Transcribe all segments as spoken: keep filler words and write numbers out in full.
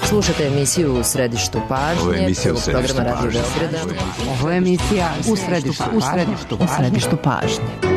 Slušate emisiju U središtu pažnje. Ovo je emisija U središtu pažnje. Ovo je emisija U središtu pažnje. U središtu pažnje.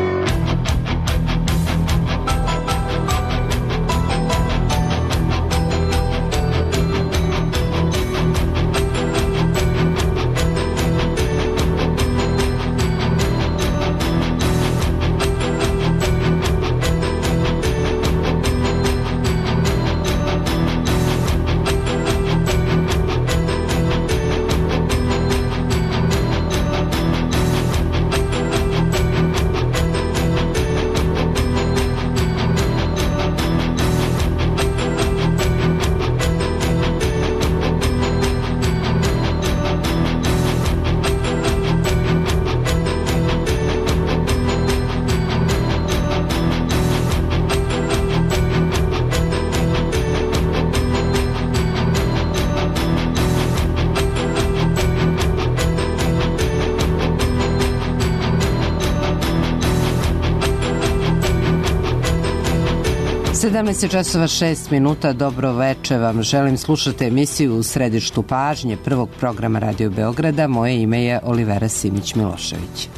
sedamnaest časova šest minuta, dobro veče vam. Želim slušati emisiju U središtu pažnje prvog programa Radio Beograda. Moje ime je Olivera Simić-Milošević.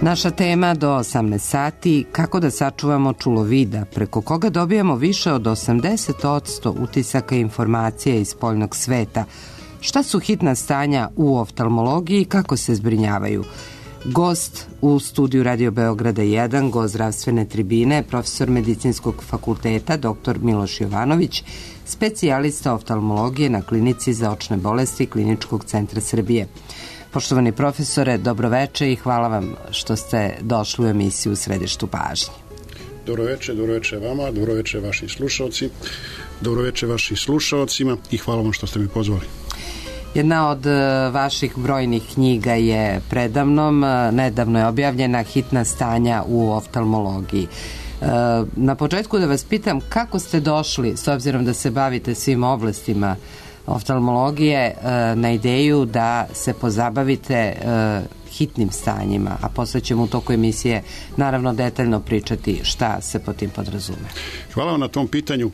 Naša tema do osamnaest sati, kako da sačuvamo čulo vida, preko koga dobijamo više od osamdeset posto utisaka i informacija iz spoljnog sveta. Šta su hitna stanja u oftalmologiji i kako se zbrinjavaju? Gost u studiju Radio Beograda jedan, gost zdravstvene tribine, profesor medicinskog fakulteta, doktor Miloš Jovanović, specijalista oftalmologije na klinici za očne bolesti Kliničkog centra Srbije. Poštovani profesore, dobroveče i hvala vam što ste došli u emisiju U središtu pažnje. Dobroveče, dobroveče vama, dobroveče vaši slušalci, dobroveče vašim slušalcima i hvala vam što ste mi pozvali. Jedna od vaših brojnih knjiga je predavnom, nedavno je objavljena Hitna stanja u oftalmologiji. Na početku da vas pitam kako ste došli, s obzirom da se bavite svim oblastima oftalmologije, na ideju da se pozabavite hitnim stanjima, a posle ćemo u toku emisije naravno detaljno pričati šta se po tim podrazume. Hvala vam na tom pitanju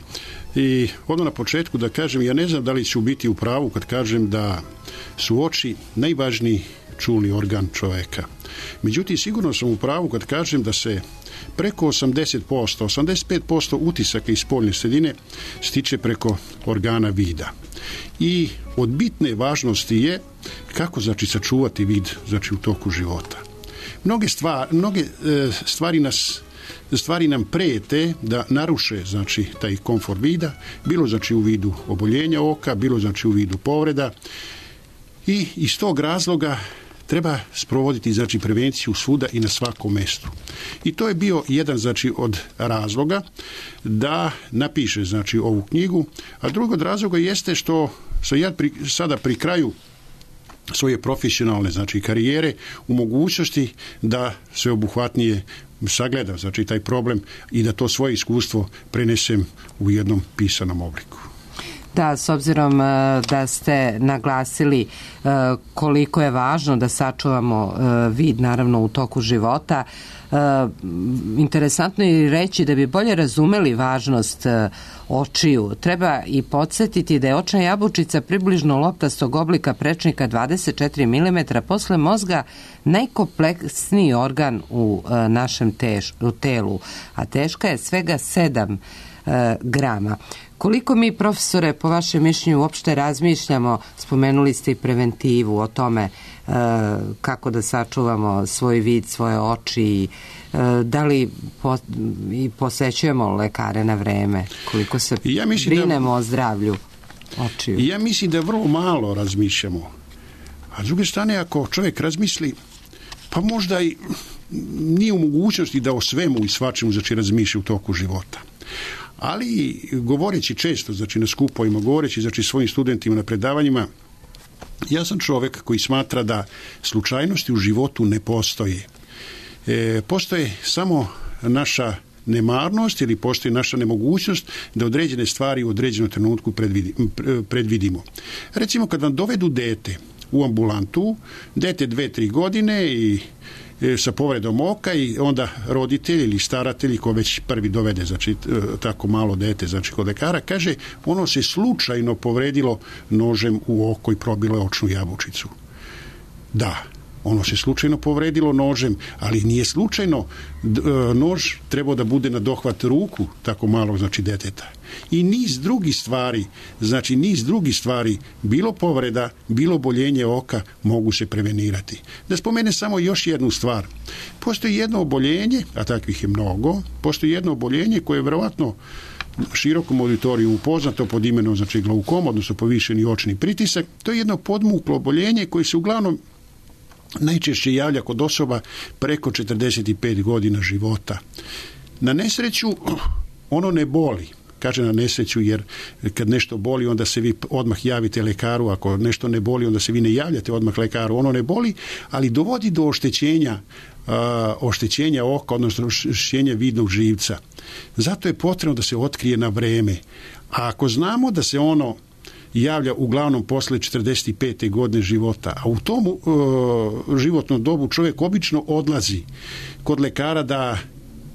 i odmah na početku da kažem, ja ne znam da li ću biti u pravu kad kažem da su oči najvažniji čulni organ čoveka. Međutim, sigurno sam u pravu kad kažem da se preko osamdeset posto, osamdeset pet posto utisaka iz spoljne sredine stiče preko organa vida. I od bitne važnosti je kako znači sačuvati vid znači u toku života. Mnoge stvari, mnoge e, stvari nas stvari nam prete da naruše znači taj komfort vida, bilo znači u vidu oboljenja oka, bilo znači u vidu povreda. I iz tog razloga treba sprovoditi znači prevenciju svuda i na svakom mestu. I to je bio jedan znači od razloga da napiše znači ovu knjigu, a drugi od razloga jeste što sam ja pri, sada pri kraju svoje profesionalne znači karijere u mogućnosti da sveobuhvatnije sagledam znači taj problem i da to svoje iskustvo prenesem u jednom pisanom obliku. Da, s obzirom da ste naglasili koliko je važno da sačuvamo vid naravno u toku života, interesantno je reći da bi bolje razumeli važnost očiju. Treba i podsjetiti da je očna jabučica približno loptastog oblika prečnika dvadeset četiri milimetra posle mozga najkompleksniji organ u našem teš, u telu, a teška je svega sedam grama. Koliko mi, profesore, po vašem mišljenju uopšte razmišljamo, spomenuli ste i preventivu o tome e, kako da sačuvamo svoj vid, svoje oči, e, da li po, i posećujemo lekare na vreme, koliko se ja brinemo da, o zdravlju očiju? Ja mislim da vrlo malo razmišljamo. A s druge strane, ako čovjek razmisli, pa možda i nije u mogućnosti da o svemu i svačemu znači razmišlja u toku života. Ali govoreći često, znači na skupovima, govoreći znači svojim studentima na predavanjima, ja sam čovjek koji smatra da slučajnosti u životu ne postoje. E, postoje samo naša nemarnost ili postoji naša nemogućnost da određene stvari u određenom trenutku predvidi, predvidimo. Recimo kad vam dovedu dete u ambulantu, dete dve, tri godine i sa povredom oka i onda roditelj ili staratelj ko već prvi dovede znači tako malo dete znači kod lekara kaže ono se slučajno povredilo nožem u oko i probilo očnu jabučicu. Da, ono se slučajno povredilo nožem, ali nije slučajno nož trebao da bude na dohvat ruku tako malog znači deteta. I niz drugih stvari, znači niz drugih stvari, bilo povreda, bilo oboljenje oka mogu se prevenirati. Da spomenem samo još jednu stvar. Postoji jedno oboljenje, a takvih je mnogo, postoji jedno oboljenje koje je verovatno širokom auditoriju poznato pod imenom znači glaukom, odnosno povišeni očni pritisak. To je jedno podmuklo oboljenje koje se uglavnom najčešće javlja kod osoba preko četrdeset pet godina života. Na nesreću ono ne boli. Kaže na nesreću jer kad nešto boli onda se vi odmah javite lekaru, ako nešto ne boli onda se vi ne javljate odmah lekaru, ono ne boli, ali dovodi do oštećenja uh, oštećenja oka, odnosno oštećenja vidnog živca. Zato je potrebno da se otkrije na vreme. A ako znamo da se ono javlja uglavnom posle četrdeset pete godine života, a u tom uh, životnom dobu čovjek obično odlazi kod lekara da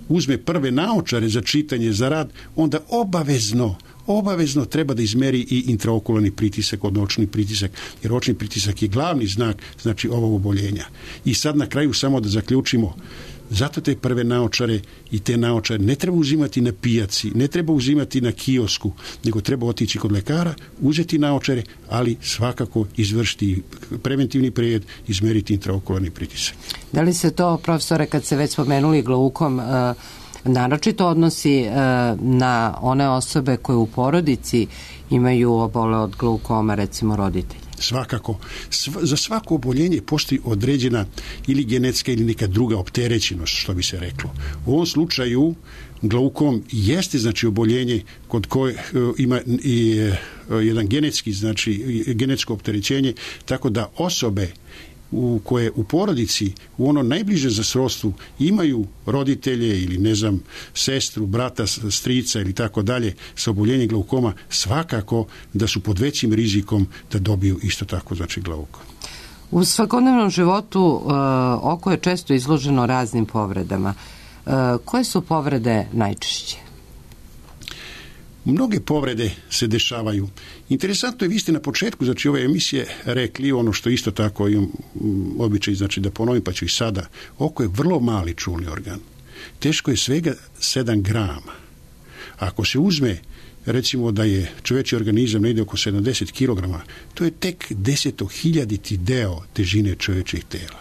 uzme prve naočare za čitanje, za rad, onda obavezno, obavezno treba da izmeri i intraokularni pritisak, odnosno očni pritisak, jer očni pritisak je glavni znak znači ovog oboljenja. I sad na kraju samo da zaključimo, zato te prve naočare i te naočare ne treba uzimati na pijaci, ne treba uzimati na kiosku, nego treba otići kod lekara, uzeti naočare, ali svakako izvršiti preventivni pregled, izmeriti intraokularni pritisak. Da li se to, profesore, kad se već spomenuli glaukom, naročito odnosi na one osobe koje u porodici imaju obole od glaukoma, recimo roditelji? Svakako. Sv- za svako oboljenje postoji određena ili genetska ili neka druga opterećenost, što bi se reklo. U ovom slučaju glaukom jeste znači oboljenje kod koje uh, ima i uh, jedan genetski, znači genetsko opterećenje, tako da osobe u koje u porodici u ono najbliže za srodstvu imaju roditelje ili ne znam sestru, brata, strica ili tako dalje sa oboljenjem glaukoma, svakako da su pod većim rizikom da dobiju isto tako znači glaukom. U svakodnevnom životu uh, oko je često izloženo raznim povredama. Uh, koje su povrede najčešće? Mnoge povrede se dešavaju. Interesantno je, vi ste na početku znači ove emisije rekli ono što isto tako imam običaj znači da ponovim, pa ću i sada. Oko je vrlo mali čulni organ. Teško je svega sedam grama. Ako se uzme recimo da je čovječji organizam negdje oko sedamdeset kilograma, to je tek desetohiljaditi deo težine čovječjeg tela.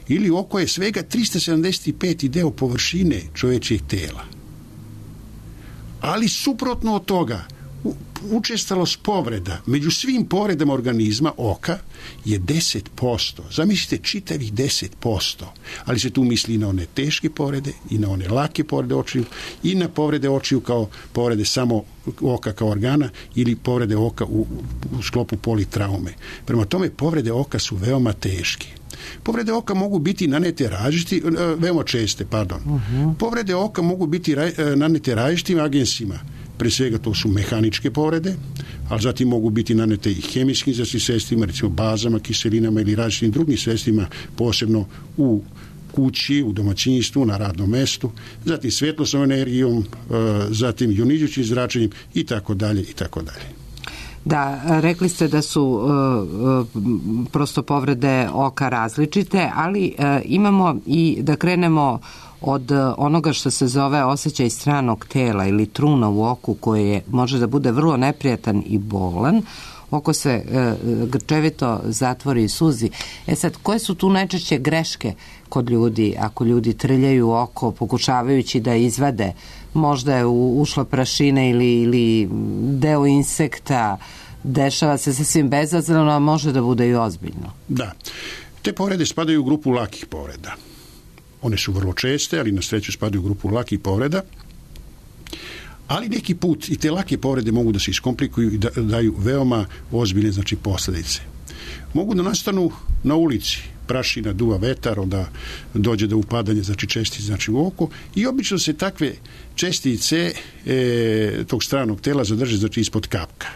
Ili oko je svega tristo sedamdeset peti deo površine čovječjeg tela. Ali suprotno od toga, učestalost povreda među svim povredama organizma oka je deset posto. Zamislite čitavih deset posto. Ali se tu misli i na one teške povrede, i na one lake povrede očiju, i na povrede očiju kao povrede samo oka kao organa, ili povrede oka u, u sklopu politraume. Prema tome, povrede oka su veoma teške. Povrede oka mogu biti nanete različiti, veoma česte, pardon. Uh-huh. Povrede oka mogu biti nanete različitim agensima. Pre svega to su mehaničke povrede, ali zatim mogu biti nanete i hemijskim sredstvima, recimo bazama, kiselinama ili različitim drugim sredstvima, posebno u kući, u domaćinstvu, na radnom mestu, zatim svjetlosnom energijom, zatim jonizujućim zračenjem i tako dalje i tako dalje. Da, rekli ste da su uh, prosto povrede oka različite, ali uh, imamo i da krenemo od onoga što se zove osjećaj stranog tela ili truna u oku koje može da bude vrlo neprijatan i bolan. Oko se e, grčevito zatvori i suzi. E sad, koje su tu najčešće greške kod ljudi ako ljudi trljaju oko pokušavajući da izvade, možda je u, ušla prašina ili, ili deo insekta, dešava se sasvim bezazleno, a može da bude i ozbiljno. Da. Te povrede spadaju u grupu lakih povreda. One su vrlo česte, ali na sreću spadaju u grupu lakih povreda. Ali neki put i te lake povrede mogu da se iskomplikuju i da daju veoma ozbiljne znači posljedice. Mogu da nastanu na ulici, prašina, duva vetar, onda dođe do upadanja znači čestice znači u oko i obično se takve čestice e, tog stranog tela zadrže znači ispod kapka.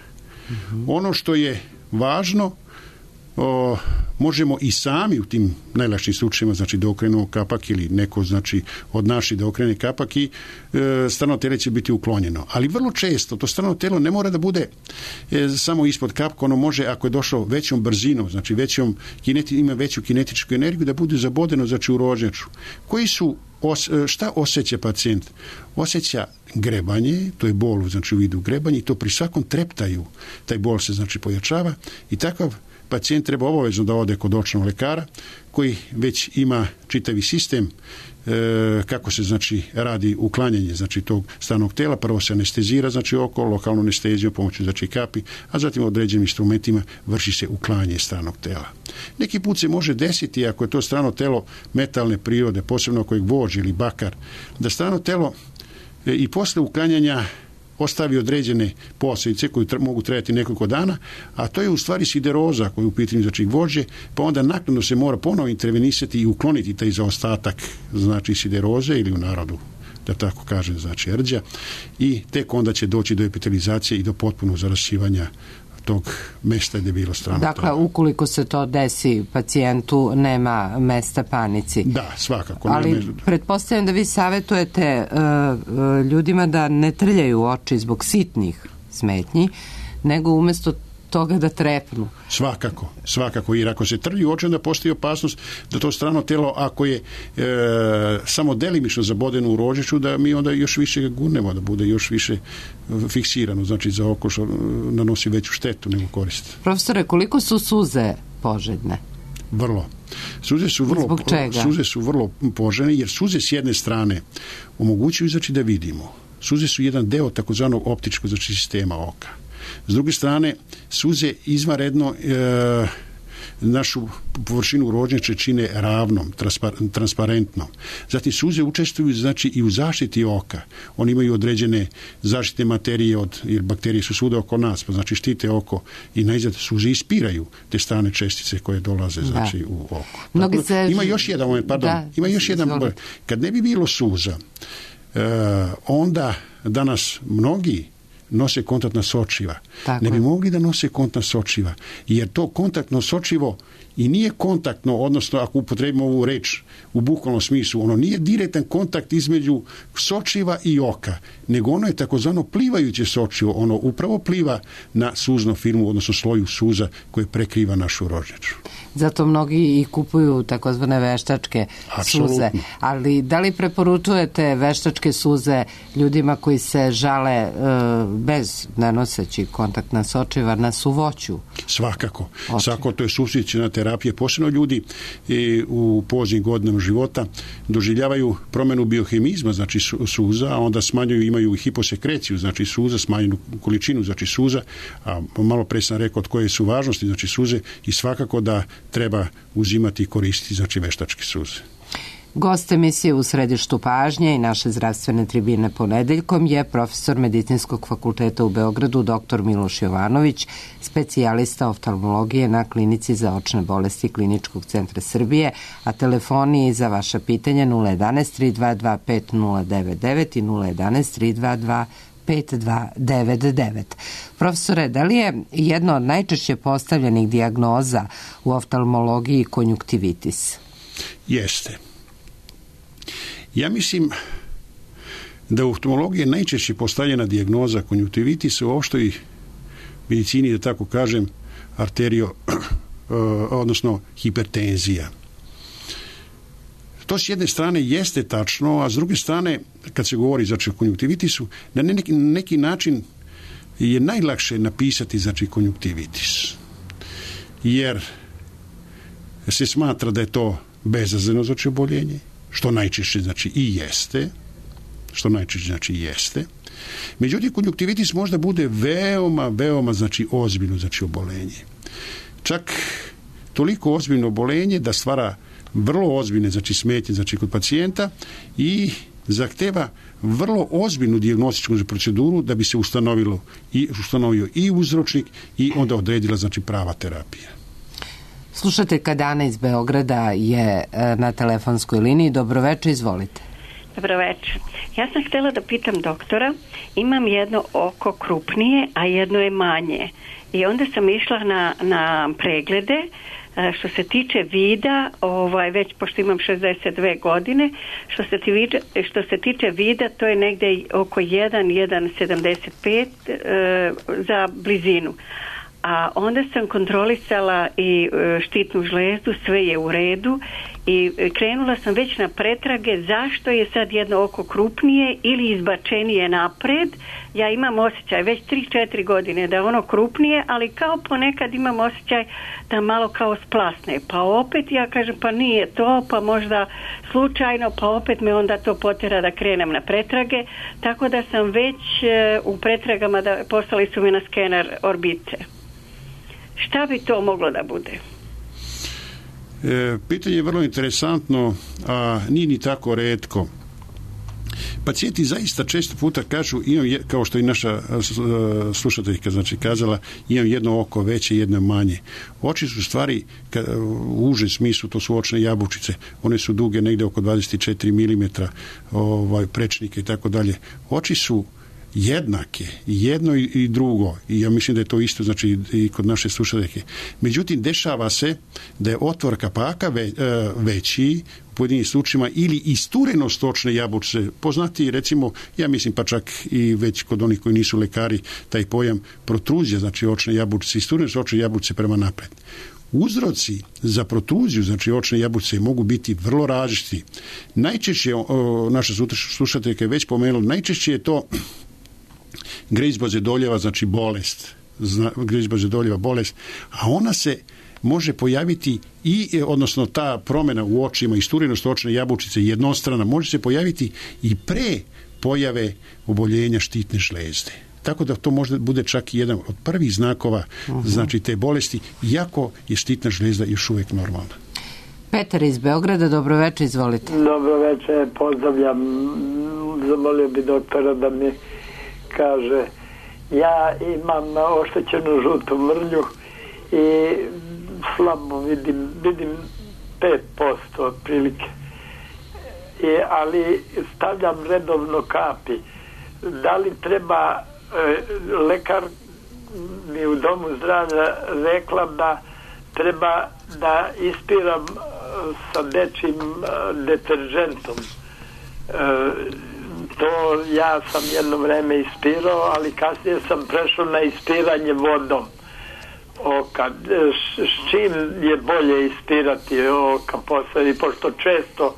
Mm-hmm. Ono što je važno o, možemo i sami u tim najlakšim slučajevima, znači da okrenemo kapak ili neko, znači od naših da okrene kapak i e, strano telo će biti uklonjeno. Ali vrlo često to strano telo ne mora da bude e, samo ispod kapka, ono može, ako je došlo većom brzinom, znači većom, kineti, ima veću kinetičku energiju, da bude zabodeno, znači u rožnjaču. Koji su Os, šta osjeća pacijent? Osjeća grebanje, to je bol, znači u vidu grebanja, i to pri svakom treptaju taj bol se znači pojačava i takav pacijent treba obavezno da ode kod očnog lekara koji već ima čitavi sistem e, kako se znači radi uklanjanje znači tog stranog tela. Prvo se anestezira znači oko, lokalnu anesteziju pomoću znači kapi, a zatim određenim instrumentima vrši se uklanjanje stranog tela. Neki put se može desiti, ako je to strano telo metalne prirode, posebno ako je gvožđ ili bakar, da strano telo e, i posle uklanjanja ostavi određene posljedice koje tr- mogu trajati nekoliko dana, a to je u stvari sideroza koja je u pitanju znači gvožđe, pa onda naknadno se mora ponovo intervenisati i ukloniti taj zaostatak znači sideroze, ili u narodu da tako kažem znači rđa, i tek onda će doći do epitelizacije i do potpunog zarasivanja tog mesta gdje je bilo strano telo. Dakle, ukoliko se to desi pacijentu, nema mesta panici. Da, svakako. Ali nema... pretpostavljam da vi savjetujete uh, ljudima da ne trljaju oči zbog sitnih smetnji, nego umjesto toga da trepnu. Svakako, svakako, jer ako se trlju oči, onda postoji opasnost da to strano telo, ako je e, samo delimično zabodeno u rožiću, da mi onda još više ga gurnemo, da bude još više fiksirano, znači za oko što nanosi veću štetu nego korist. Profesore, koliko su suze poželjne? Vrlo. Suze su vrlo, suze su vrlo poželjne, jer suze s jedne strane omogućuju znači da vidimo. Suze su jedan deo takozvanog optičkog znači sistema oka. S druge strane, suze izvanredno e, našu površinu rožnjače čine ravnom, transparentnom. Zatim suze učestvuju znači i u zaštiti oka. Oni imaju određene zaštitne materije od, jer bakterije su svuda oko nas, pa znači štite oko i najzad suze ispiraju te strane čestice koje dolaze znači da. U oko. Dakle, se... Ima još jedan moment, pardon, da, ima još jedan moment. Kad ne bi bilo suza, e, onda danas mnogi nose kontaktna sočiva. Tako. Ne bi mogli da nose kontaktna sočiva, jer to kontaktno sočivo i nije kontaktno, odnosno ako upotrebimo ovu reč u bukvalnom smislu, ono nije direktan kontakt između sočiva i oka, nego ono je takozvano plivajuće sočivo, ono upravo pliva na suznom filmu, odnosno sloju suza koje prekriva našu rožnjaču. Zato mnogi i kupuju takozvane veštačke Absolutno. Suze. Ali da li preporučujete veštačke suze ljudima koji se žale e, bez nanoseći kontaktna sočiva na suvoću? Svakako. Oči. Svakako, to je supstituciona terapija. Posebno ljudi e, u poznim godinama života doživljavaju promjenu biohemizma, znači suza, a onda smanjuju, imaju hiposekreciju, znači suza, smanjenu količinu, znači suza, a malo pre sam rekao od koje su važnosti, znači suze, i svakako da treba uzimati i koristiti znači veštačke suze. Gost emisije U središtu pažnje i naše zdravstvene tribine ponedeljkom je profesor Medicinskog fakulteta u Beogradu doktor Miloš Jovanović, specijalista oftalmologije na Klinici za očne bolesti Kliničkog centra Srbije, a telefoni za vaša pitanja nula jedanaest tri dva dva pet nula devet devet i nula jedanaest tri dva dva pet dva devet devet. Profesore, da li je jedna od najčešće postavljenih dijagnoza u oftalmologiji konjunktivitis? Jeste. Ja mislim da u oftalmologiji je najčešće postavljena dijagnoza konjunktivitisa u opštoj medicini, da tako kažem, arterio, odnosno hipertenzija. To s jedne strane jeste tačno, a s druge strane, kad se govori znači, o konjunktivitisu, na neki, neki način je najlakše napisati znači, konjunktivitis. Jer se smatra da je to bezazleno znači, oboljenje, što najčešće znači i jeste, što najčešće znači i jeste. Međutim, konjunktivitis možda bude veoma, veoma znači ozbiljno znači obolenje. Čak toliko ozbiljno obolenje da stvara vrlo ozbiljne znači smetnje znači kod pacijenta i zahteva vrlo ozbiljnu dijagnostičku proceduru da bi se ustanovilo i ustanovio i uzročnik i onda odredila znači prava terapija. Slušateljka Dana iz Beograda je na telefonskoj liniji. Dobroveče, izvolite. Dobro večer. Ja sam htjela da pitam doktora, imam jedno oko krupnije, a jedno je manje. I onda sam išla na, na preglede. Što se tiče vida, ovaj, već pošto imam šezdeset dve godine, što se, tiče, što se tiče vida, to je negdje oko jedan zarez sedamdeset pet e, za blizinu. A onda sam kontrolisala i štitnu žlezdu, sve je u redu i krenula sam već na pretrage zašto je sad jedno oko krupnije ili izbačenije napred. Ja imam osjećaj već tri četiri godine da je ono krupnije, ali kao ponekad imam osjećaj da malo kao splasne. Pa opet ja kažem pa nije to, pa možda slučajno, pa opet me onda to potera da krenem na pretrage. Tako da sam već u pretragama, da poslali su mi na skener orbice. Šta bi to moglo da bude? E, pitanje je vrlo interesantno, a nije ni tako retko. Pacijenti zaista često puta kažu, imam je, kao što i naša slušateljka znači kazala, imam jedno oko veće, jedno manje. Oči su stvari, u užem smislu, to su očne jabučice. One su duge negde oko dvadeset četiri milimetra, ovaj, prečnike i tako dalje. Oči su jednake, jedno i drugo, i ja mislim da je to isto znači i kod naše slušateljke. Međutim, dešava se da je otvor kapaka ve, veći u pojedinim slučajima ili isturenost očne jabučice, poznati recimo, ja mislim pa čak i već kod onih koji nisu lekari, taj pojam protruzija, znači očne jabučice, isturenost očne jabučice prema napred. Uzroci za protruziju, znači očne jabučice, mogu biti vrlo različiti. Najčešće, o, naša slušateljka je već pomenula, najčešće je to grejzba zedoljeva, znači bolest, grejzba zedoljeva bolest, a ona se može pojaviti i, odnosno ta promjena u očima, isturenost očne jabučice jednostrana, može se pojaviti i pre pojave oboljenja štitne žlezde. Tako da to možda bude čak i jedan od prvih znakova uh-huh. znači te bolesti, iako je štitna žlezda još uvijek normalna. Petar iz Beograda, dobro večer, izvolite. Dobro večer, pozdravljam. Zamolio bi doktora da mi kaže, ja imam oštećenu žutu mrlju i slabo vidim, vidim pet posto otprilike. I, ali stavljam redovno kapi. Da li treba, e, lekar mi u domu zdravlja rekla da treba da ispiram sa dečim deteržentom. E, to ja sam jedno vreme ispirao, ali kasnije sam prešao na ispiranje vodom oka. S čim je bolje ispirati oka posle, pošto često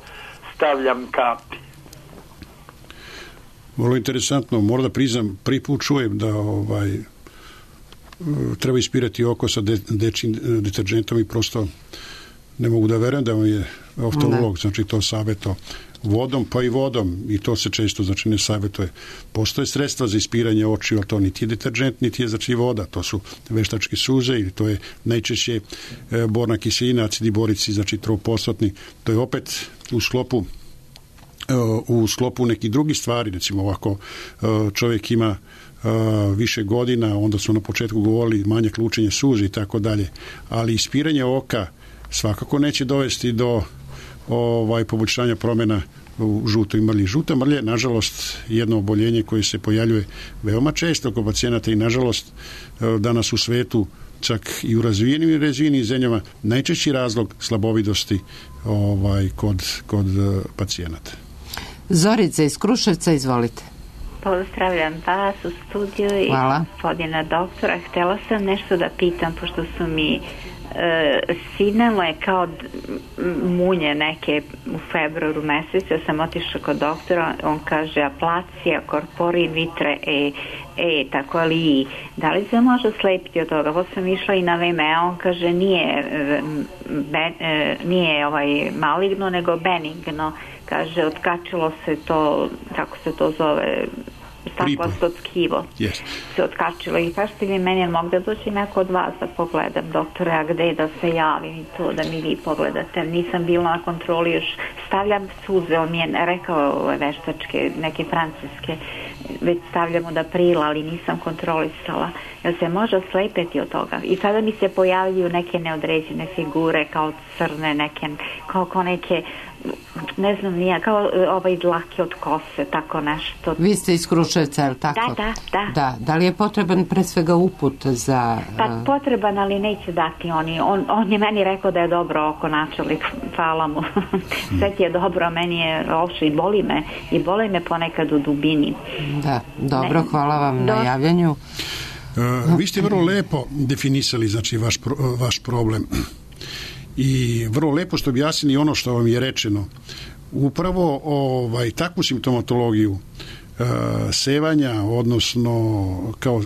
stavljam kapi? Vrlo interesantno, moram da priznam, prvi put čujem da ovaj, treba ispirati oko sa de, dečim deteržentom i prosto ne mogu da verujem da vam je oftalmolog, znači to savjeto vodom, pa i vodom, i to se često znači ne savjetuje. Postoje sredstva za ispiranje očiju, ali to niti je deterđent, niti je znači voda, to su veštačke suze ili to je najčešće e, borna kiselina, acidi borici, znači tropostotni. To je opet u sklopu e, u sklopu nekih drugih stvari, recimo ovako e, čovjek ima e, više godina, onda su na početku govorili manjak lučenja suze i tako dalje, ali ispiranje oka svakako neće dovesti do ovaj poboljšanja promjena u žutoj mrlji. Žuta mrlja je, nažalost, jedno oboljenje koje se pojavljuje veoma često kod pacijenata i, nažalost, danas u svetu, čak i u razvijenim i razvijenim zemljama, najčešći razlog slabovidosti ovaj, kod, kod pacijenata. Zorica iz Kruševca, izvolite. Pozdravljam vas u studiju i gospodina doktora. Htjela sam nešto da pitam, pošto su mi Uh, sinalo je kao munje neke u februaru mesecu. Ja sam otišla kod doktora, on kaže aplacija, korporin, vitre, e, e, tako ali da li se može slepiti od toga? Ovo sam išla i na V M E, on kaže nije ben, nije ovaj maligno, nego benigno, kaže otkačilo se to, kako se to zove, staklosto tkivo yes. se otkačilo i kažete li meni mogu da doći neko od vas da pogledam doktore, a gde da se javim i to da mi vi pogledate, nisam bila na kontroli još, stavljam suze, on mi je rekao veštačke neke francuske već stavljam od aprila, ali nisam kontrolisala. Jel se može oslepeti od toga? I sada mi se pojavljuju neke neodređene figure, kao crne, neke, kao, kao neke, ne znam nije, kao ovaj dlake od kose, tako nešto. Vi ste iz Kruševca, je li tako? Da, da, da. Da, da li je potreban pre svega uput za... Pa potreban, ali neće dati oni. On, on je meni rekao da je dobro oko načelnik, hvala mu. Sve ti je dobro, meni je loše i boli me, i boli me ponekad u dubini. Da, dobro, hvala vam na javljanju. Uh, vi ste vrlo lepo definisali, znači, vaš, pro, vaš problem. I vrlo lepo ste objasnili ono što vam je rečeno. Upravo ovaj, takvu simptomatologiju uh, sevanja, odnosno kao uh,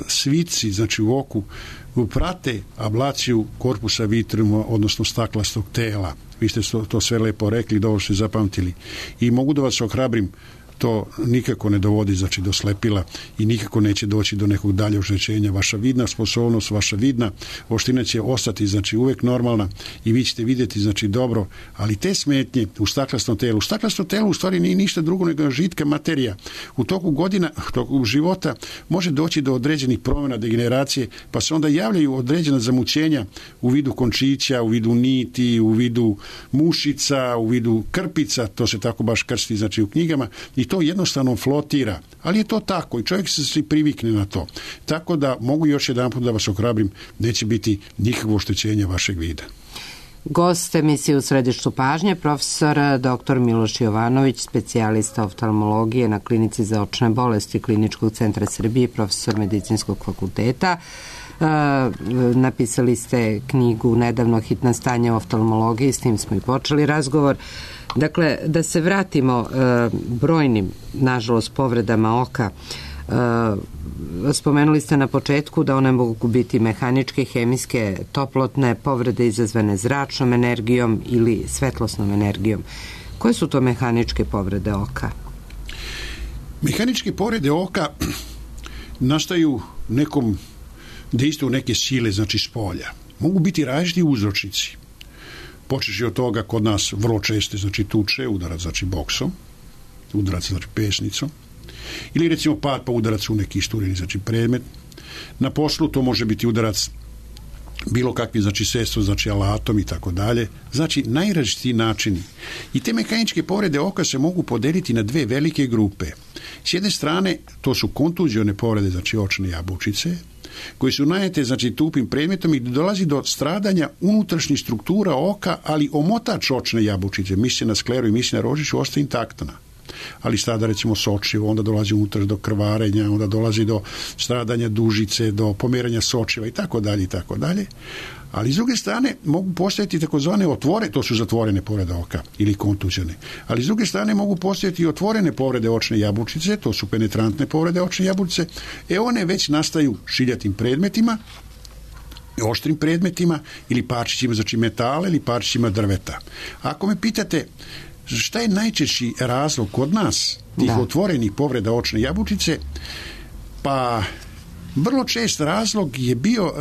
svici, znači u oku, prate ablaciju korpusa vitreuma, odnosno staklastog tela. Vi ste to, to sve lepo rekli, dobro ste zapamtili. I mogu da vas ohrabrim, to nikako ne dovodi, znači, do slepila i nikako neće doći do nekog dalje oštećenja. Vaša vidna sposobnost, vaša vidna oštrina će ostati, znači, uvek normalna i vi ćete vidjeti, znači, dobro, ali te smetnje u staklastom telu, u staklastom telu u stvari nije ništa drugo nego žitka materija. U toku godina, u toku života može doći do određenih promjena, degeneracije, pa se onda javljaju određena zamućenja u vidu končića, u vidu niti, u vidu mušica, u vidu krpica, to se tako baš krsti, znači, u knjigama, i to jednostavno flotira, ali je to tako i čovjek se svi privikne na to. Tako da mogu još jedan put da vas ohrabrim, neće biti nikakvo oštećenje vašeg vida. Gost emisije U središtu pažnje, profesor doktor Miloš Jovanović, specijalista oftalmologije na Klinici za očne bolesti Kliničkog centra Srbije, profesor medicinskog fakulteta. Uh, napisali ste knjigu nedavno Hitna stanja u oftalmologiji, s tim smo i počeli razgovor. Dakle, da se vratimo uh, brojnim, nažalost, povredama oka. Uh, spomenuli ste na početku da one mogu biti mehaničke, hemijske, toplotne povrede izazvane zračnom energijom ili svetlosnom energijom. Koje su to mehaničke povrede oka? Mehaničke povrede oka nastaju nekom dejstvu neke sile, znači spolja. Mogu biti različiti uzročnici. Počeši od toga kod nas vrlo često, znači tuče, udarac, znači boksom, udarac, znači pesnicom, ili recimo pad pa udarac u neki istureni, znači predmet. Na poslu to može biti udarac bilo kakvi, znači sredstvo, znači alatom i tako dalje. Znači najrazličitiji načini. I te mehaničke povrede oka se mogu podeliti na dve velike grupe. S jedne strane to su kontuzione povrede, znači očne jabučice, koji su najete, znači, tupim predmetom i dolazi do stradanja unutrašnjih struktura oka, ali omotač očne jabučice, misli na skleru i misli na rožiću, ostaje intaktna. Ali strada, recimo, sočivo, onda dolazi unutrašnje do krvarenja, onda dolazi do stradanja dužice, do pomeranja sočiva i tako dalje i tako dalje. Ali s druge strane mogu postojati takozvane otvore, to su zatvorene povrede oka ili kontuzione. Ali s druge strane mogu postojati i otvorene povrede očne jabučice, to su penetrantne povrede očne jabučice. E one već nastaju šiljatim predmetima, oštrim predmetima ili parčićima, znači metala ili parčićima drveta. Ako me pitate šta je najčešći razlog kod nas tih da. otvorenih povreda očne jabučice, pa vrlo čest razlog je bio,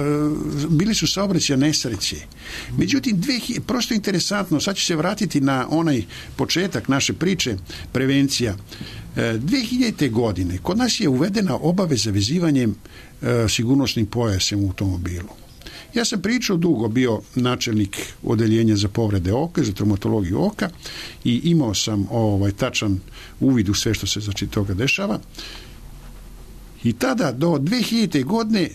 bili su saobraćajne nesreće. Međutim, dve, prosto interesantno, sad ću se vratiti na onaj početak naše priče, prevencija. dve hiljadite. godine kod nas je uvedena obaveza vezivanjem sigurnosnim pojasem u automobilu. Ja sam pričao dugo, bio načelnik odeljenja za povrede oka, za traumatologiju oka i imao sam ovaj tačan uvid u sve što se, znači, toga dešava. I tada do dve hiljadite. godine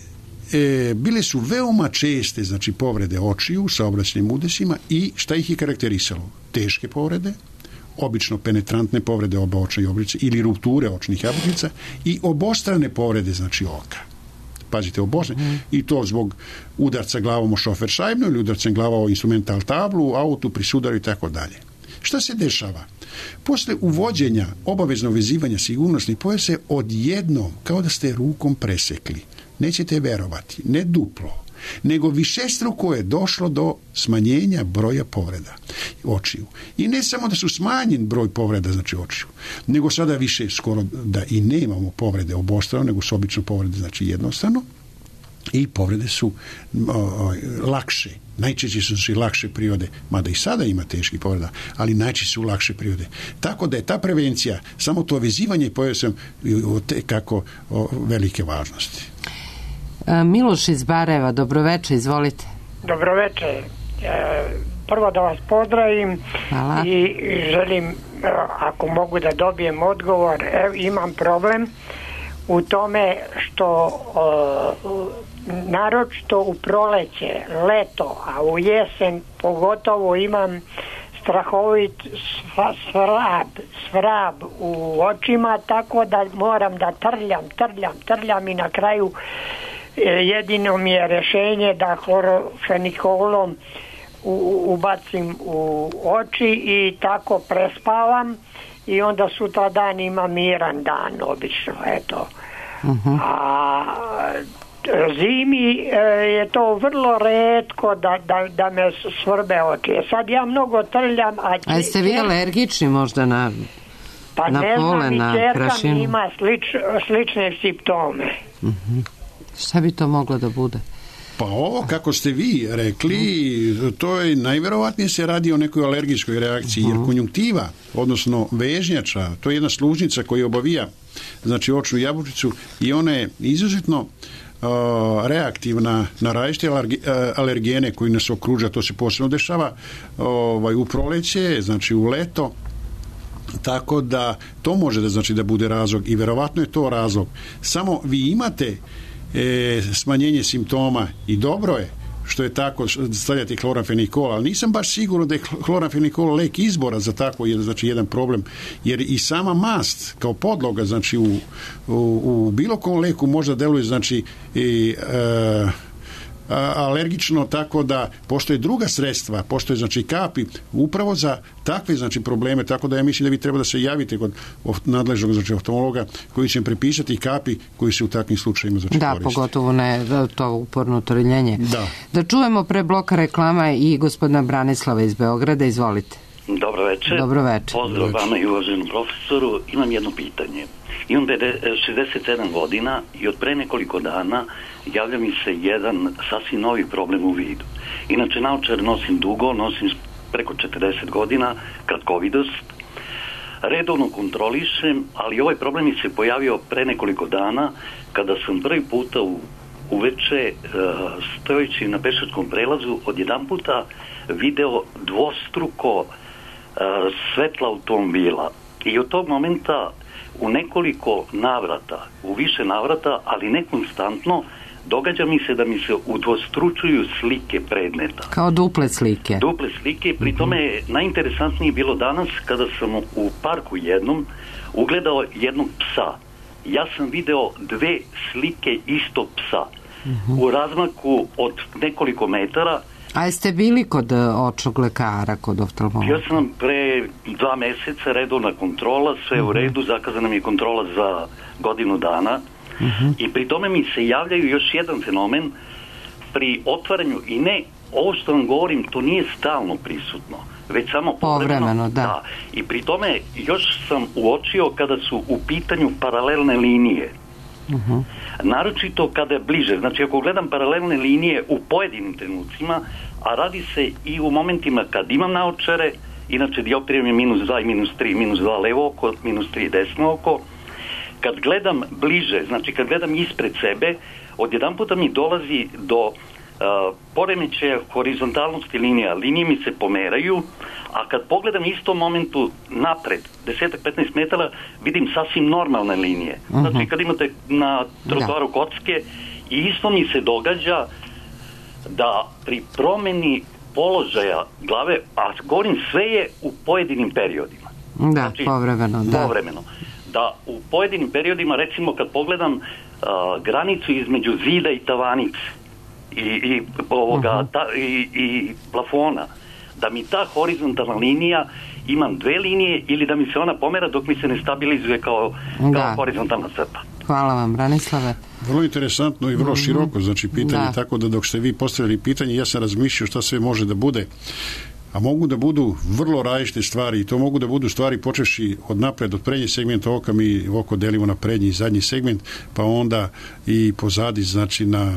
e, bile su veoma česte, znači, povrede očiju sa saobraćajnim udesima i šta ih je karakterisalo? Teške povrede, obično penetrantne povrede oba očne jabučice ili rupture očnih jabučica i obostrane povrede, znači, oka. Pazite, obostrane. Mm. I to zbog udarca glavom o šoferšajbnu ili udarcem glava o instrumental tablu, autu, pri sudaru i tako dalje. Šta se dešava? Posle uvođenja obaveznog vezivanja sigurnosnih pojasa odjednom, kao da ste rukom presekli, nećete verovati, ne duplo, nego višestruko je došlo do smanjenja broja povreda očiju. I ne samo da su smanjen broj povreda, znači očiju, nego sada više skoro da i nemamo povrede obostrano, nego su obično povrede, znači jednostavno. i povrede su o, o, lakše. Najčešće su i lakše prirode, mada i sada ima teških povreda, ali najčešće su lakše prirode. Tako da je ta prevencija, samo to vezivanje, pojao sam kako o, velike važnosti. Miloš iz Barajeva, dobroveče, izvolite. Dobroveče. Prvo da vas pozdravim. Hvala. I želim, ako mogu da dobijem odgovor, evo, imam problem u tome što naročito u proleće, leto, a u jesen pogotovo imam strahovit svrab, svrab u očima, tako da moram da trljam, trljam, trljam i na kraju jedino mi je rješenje da hlorofenikolom ubacim u oči i tako prespavam i onda sutra dan ima miran dan obično, eto. Uh-huh. A zimi je to vrlo retko da, da, da me svrbe oči. Sad ja mnogo trljam, a... A jeste vi alergični možda na, pa na pole, na prašinu? Pa ne znam, i čerka ima slič, slične simptome. Uh-huh. Šta bi to moglo da bude? Pa ovo, kako ste vi rekli, to je najverovatnije se radi o nekoj alergijskoj reakciji, jer konjunktiva, odnosno vežnjača, to je jedna služnica koja obavija, znači očnu jabučicu, i ona je izuzetno uh, reaktivna na različite alergene koji nas okruža. To se posebno dešava ovaj, u proleće, znači u leto, tako da to može da znači da bude razlog i verovatno je to razlog. Samo vi imate E, smanjenje simptoma i dobro je što je tako stavljati hlorafenikol, ali nisam baš siguran da je hlorafenikol lek izbora za tako jedan, znači jedan problem, jer i sama mast kao podloga, znači u, u, u bilo kom leku možda deluje znači i e, alergično, tako da postoje druga sredstva, postoje znači kapi upravo za takve znači probleme, tako da ja mislim da vi treba da se javite kod nadležnog znači oftalmologa koji će prepisati kapi koji se u takvim slučajima znači da, koriste. Pogotovo ne to uporno triljenje. Da. Da čujemo pre bloka reklama i gospodina Branislava iz Beograda, izvolite. Dobro večer. Dobro večer. Pozdrav vama i uvaženom profesoru. Imam jedno pitanje. Imam šezdeset sedam godina i od pre nekoliko dana javlja mi se jedan sasvim novi problem u vidu. Inače, naočare nosim dugo, nosim preko četrdeset godina, kratkovidost. Redovno kontrolišem, ali ovaj problem mi se pojavio pre nekoliko dana kada sam prvi puta u, uveče stojeći na pešačkom prelazu odjedan puta video dvostruko svetla automobila. I od tog momenta u nekoliko navrata, u više navrata, ali ne konstantno, događa mi se da mi se udvostručuju slike predmeta. Kao duple slike. Duple slike, pri tome je najinteresantnije bilo danas kada sam u parku jednom ugledao jednog psa. Ja sam video dve slike istog psa uh-huh. u razmaku od nekoliko metara. A jeste bili kod očnog lekara, kod oftalmologa? Ja sam pre dva meseca redovna kontrola, sve uh-huh. u redu, zakazana mi je kontrola za godinu dana uh-huh. i pri tome mi se javljaju još jedan fenomen pri otvaranju, i ne, ovo što vam govorim, to nije stalno prisutno, već samo povremeno. Povremeno, da. da. I pri tome još sam uočio kada su u pitanju paralelne linije. Uh-huh. Naročito kada je bliže, znači ako gledam paralelne linije u pojedinim trenucima, a radi se i u momentima kad imam naočare, inače dioptrijom je minus dva i minus tri, minus dva levo oko, minus tri desno oko, kad gledam bliže, znači kad gledam ispred sebe, odjedan puta mi dolazi do uh, poremećaja horizontalnosti linija, linije mi se pomeraju, a kad pogledam istom momentu napred, deset do petnaest metara, vidim sasvim normalne linije. Uh-huh. Znači, kad imate na trotoaru da. kocke, i isto mi se događa da pri promeni položaja glave, a govorim sve je u pojedinim periodima. Da, znači, povremeno. Da. Povremeno. Da u pojedinim periodima, recimo kad pogledam uh, granicu između zida i tavanice i, i, ovoga, uh-huh. ta, i, i plafona, da mi ta horizontalna linija, imam dve linije ili da mi se ona pomera dok mi se ne stabilizuje kao, kao horizontalna crta. Hvala vam, Branislave. Vrlo interesantno i vrlo široko, znači pitanje, da. Tako da dok ste vi postavili pitanje, ja sam razmišljao šta sve može da bude. a mogu da budu vrlo različite stvari i to mogu da budu stvari počevši od napred, od prednjeg segmenta oka, mi oko delimo na prednji i zadnji segment, pa onda i pozadi, znači na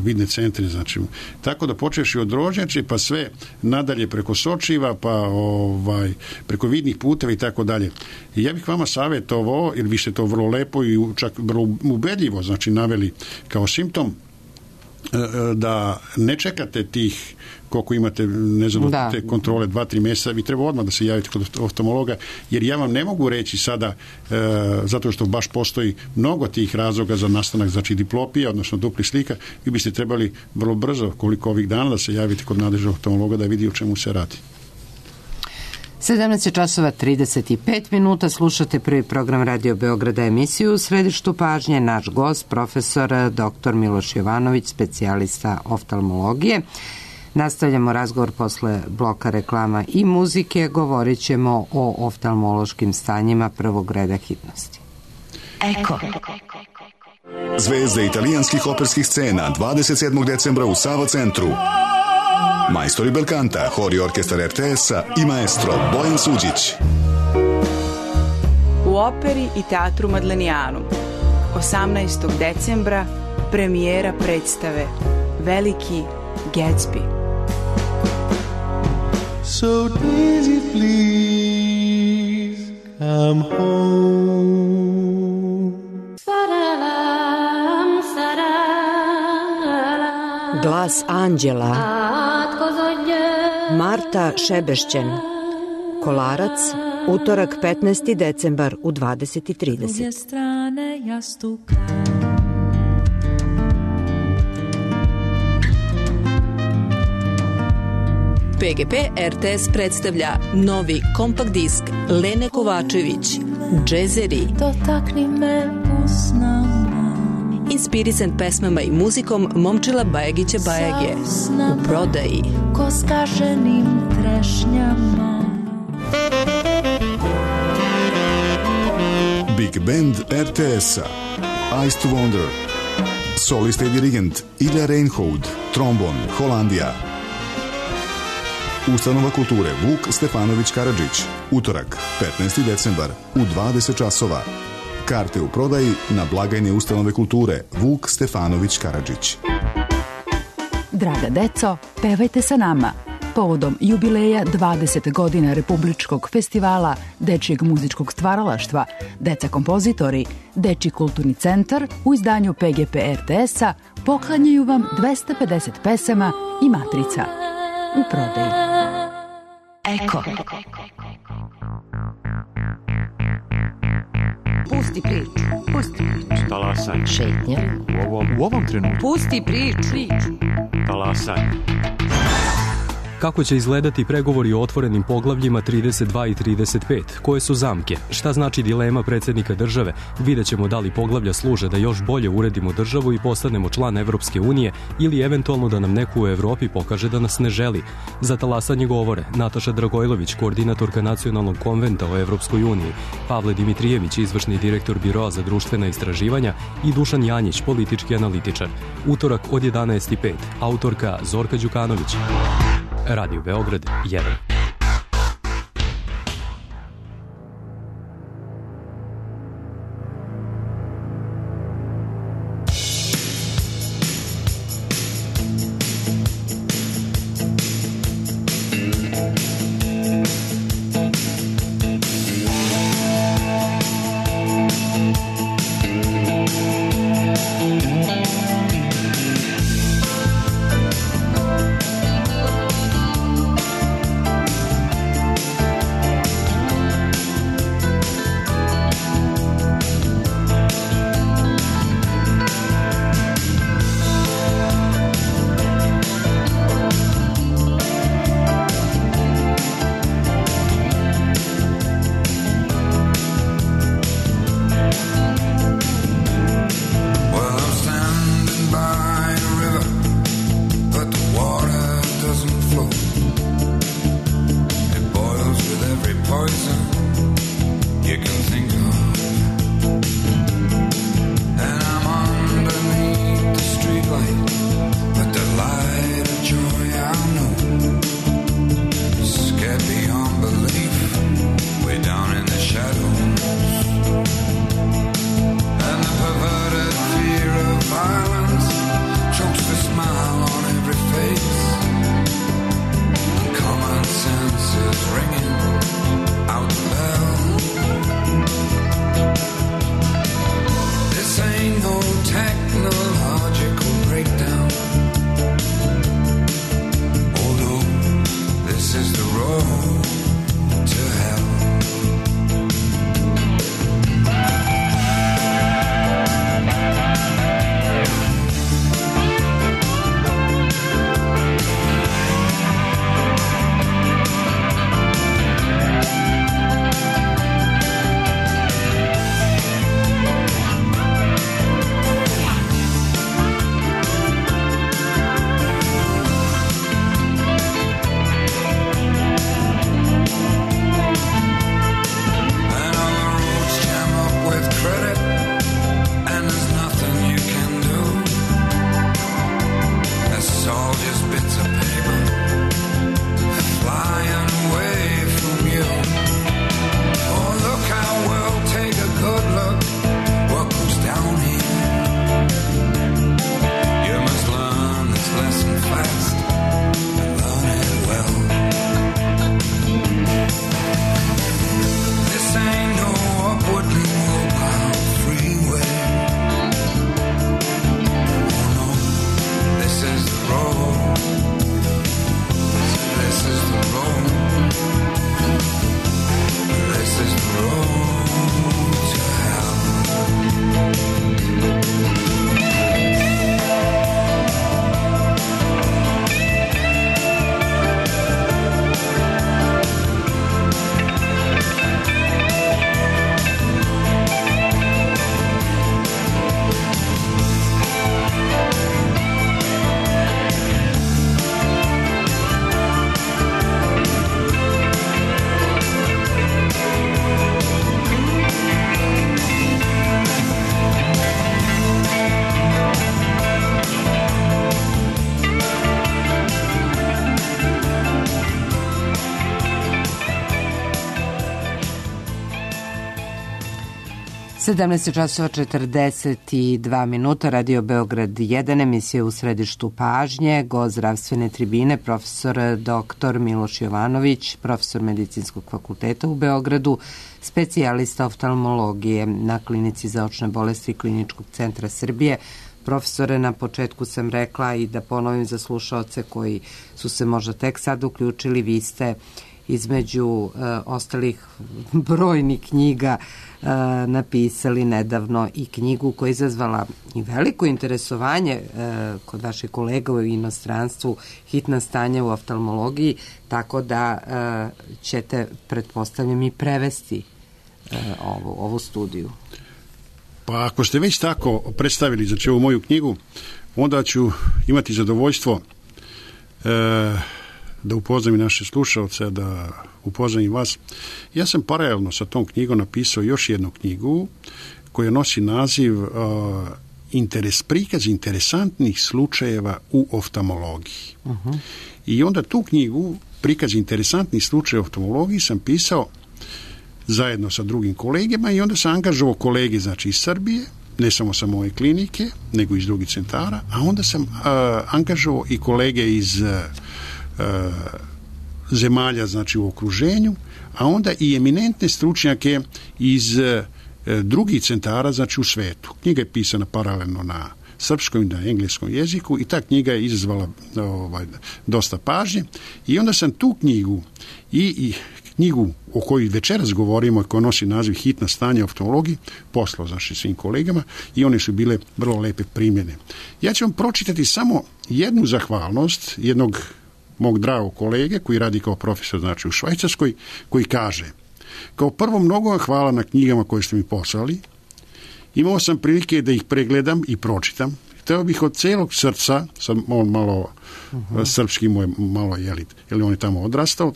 vidne centre, znači tako da počevši od rožnjače pa sve nadalje preko sočiva, pa ovaj, preko vidnih puteva i tako dalje. I ja bih vama savjetovao, jer vi ste to vrlo lepo i čak vrlo ubedljivo znači naveli kao simptom, da ne čekate tih koliko imate, ne znam, da. te kontrole dva, tri mjeseca, vi treba odmah da se javite kod oftalmologa, jer ja vam ne mogu reći sada, e, zato što baš postoji mnogo tih razloga za nastanak, znači diplopija, odnosno dupli slika, vi biste trebali vrlo brzo, koliko ovih dana, da se javite kod nadležnog oftalmologa da vidi o čemu se radi. sedamnaest časova trideset pet minuta, slušate prvi program Radio Beograda, emisiju u središtu pažnje, naš gost, profesor doktor Miloš Jovanović, specijalista oftalmologije. Nastavljamo razgovor posle bloka reklama i muzike, govorit ćemo o oftalmološkim stanjima prvog reda hitnosti. Eko. Zvezde italijanskih operskih scena dvadeset sedmog decembra u Sava centru. Majstori belkanta, hor i orkestar er te es-a i maestro Bojan Suđić. U operi i teatru Madlenijanu osamnaestog decembra premijera predstave Veliki Gatsby. So Daisy, please come home. Glas anđela. Marta Šebešćen. Kolarac, utorak petnaesti decembar u dvadeset i trideset. P G P er te es predstavlja novi kompakt disk Lene Kovačević, Džezeri. Dotakni me usnama. Inspirisan pesmama i muzikom Momčila Bajagića Bajage. U prodaji. Ko skaženim trešnjama. Big Band er te es-a, Eyes to Wonder. Solista i dirigent Ilja Reinhold, trombon, Holandija. Ustanova kulture Vuk Stefanović Karadžić, utorak, petnaesti decembar, u dvadeset časova. Karte u prodaji na blagajne ustanove kulture Vuk Stefanović Karadžić. Draga deco, pevajte sa nama. Povodom jubileja dvadeset godina Republičkog festivala dečijeg muzičkog stvaralaštva, Deca kompozitori, Dečiji kulturni centar u izdanju P G P er te es-a poklanjaju vam dvesta pedeset pesama i matrica. U prodaji. Eko. Pusti priču. Pusti priču. Talasanje. Šetnja. U ovom, u ovom trenutku. Pusti priču. priču. Talasanje. Kako će izgledati pregovori o otvorenim poglavljima trideset dva i trideset pet? Koje su zamke? Šta znači dilema predsjednika države? Vidjet ćemo da li poglavlja služe da još bolje uredimo državu i postanemo član Evropske unije ili eventualno da nam neko u Evropi pokaže da nas ne želi. Za talasanje govore Nataša Dragojlović, koordinatorka Nacionalnog konventa o Evropskoj uniji, Pavle Dimitrijević, izvršni direktor Biroa za društvena istraživanja i Dušan Janjić, politički analitičar. Utorak od jedanaest i pet. Autorka Zorka Đukanović. Radio Beograd jedan. sedamnaest časova četrdeset dva minuta, Radio Beograd jedan, emisija U središtu pažnje, gost zdravstvene tribine, profesor doktor Miloš Jovanović, profesor Medicinskog fakulteta u Beogradu, specijalista oftalmologije na Klinici za očne bolesti Kliničkog centra Srbije. Profesore, na početku sam rekla i da ponovim za slušaoce koji su se možda tek sad uključili, vi ste između e, ostalih brojnih knjiga e, napisali nedavno i knjigu koja je izazvala i veliko interesovanje e, kod vaših kolega u inostranstvu, Hitna stanja u oftalmologiji, tako da e, ćete, pretpostavljam, i prevesti e, ovu, ovu studiju. Pa ako ste već tako predstavili znači ovu moju knjigu, onda ću imati zadovoljstvo e, da upoznam i naše slušalce, da upoznam i vas. Ja sam paralelno sa tom knjigom napisao još jednu knjigu koja nosi naziv uh, interes, prikaz interesantnih slučajeva u oftalmologiji. Uh-huh. I onda tu knjigu, prikaz interesantnih slučajeva u oftalmologiji, sam pisao zajedno sa drugim kolegama i onda sam angažovao kolege znači iz Srbije, ne samo sa moje klinike, nego iz drugih centara, a onda sam uh, angažovao i kolege iz uh, zemalja znači u okruženju, a onda i eminentne stručnjake iz e, drugih centara znači u svetu. Knjiga je pisana paralelno na srpskom i na engleskom jeziku i ta knjiga je izazvala ovaj, dosta pažnje i onda sam tu knjigu i, i knjigu o kojoj večeras govorimo, koja nosi naziv Hitna stanja u oftalmologiji, poslao znači svim kolegama i one su bile vrlo lepe primljene. Ja ću vam pročitati samo jednu zahvalnost jednog mog dragog kolege koji radi kao profesor znači u Švajcarskoj, koji kaže: kao prvo, mnogo vam hvala na knjigama koje ste mi poslali. Imao sam prilike da ih pregledam i pročitam. Hteo bih od celog srca, sad on malo uh-huh. srpski mu je malo jelit, jer on je tamo odrastao,